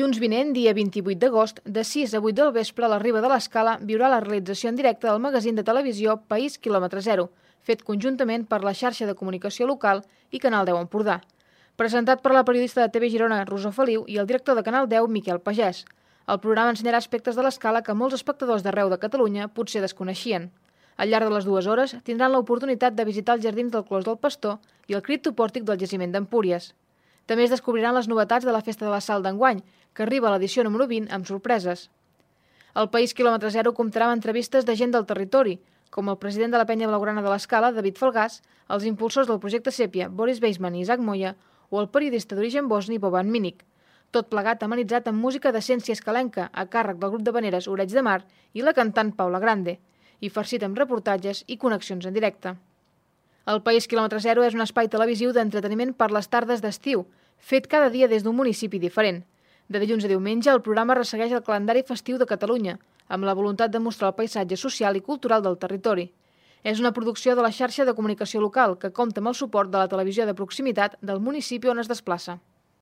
Dilluns vinent, dia 28 d'agost, de 6 a 8 del vespre, a la Riba de l'Escala viurà la realització en directe del magazín de televisió País Quilòmetre Zero, fet conjuntament per la xarxa de comunicació local i Canal 10 Empordà. Presentat per la periodista de TV Girona, Rosó Feliu, i el director de Canal 10, Miquel Pagès. El programa ensenyarà aspectes de l'escala que molts espectadors d'arreu de Catalunya potser desconeixien. Al llarg de les 2 hores tindran l'oportunitat de visitar els jardins del Clos del Pastor i el criptopòrtic del jaciment d'Empúries. També es descobriran les novetats de la Festa de la Sal d'enguany, que arriba a l'edició número 20 amb sorpreses. El País Quilòmetre Zero comptarà amb entrevistes de gent del territori, com el president de la penya blaugrana de l'Escala, David Falgàs, els impulsors del projecte Sèpia, Boris Beisman i Isaac Moya, o el periodista d'origen bosni, Boban Minic. Tot plegat amenitzat amb música d'essència escalenca a càrrec del grup de veneres Oreig de Mar i la cantant Paula Grande, i farcit amb reportatges i connexions en directe. El País Quilòmetre Zero és un espai televisiu d'entreteniment per les tardes d'estiu, fet cada dia des d'un municipi diferent. De dilluns a diumenge, el programa ressegueix el calendari festiu de Catalunya, amb la voluntat de mostrar el paisatge social i cultural del territori. És una producció de la xarxa de comunicació local que compta amb el suport de la televisió de proximitat del municipi on es desplaça.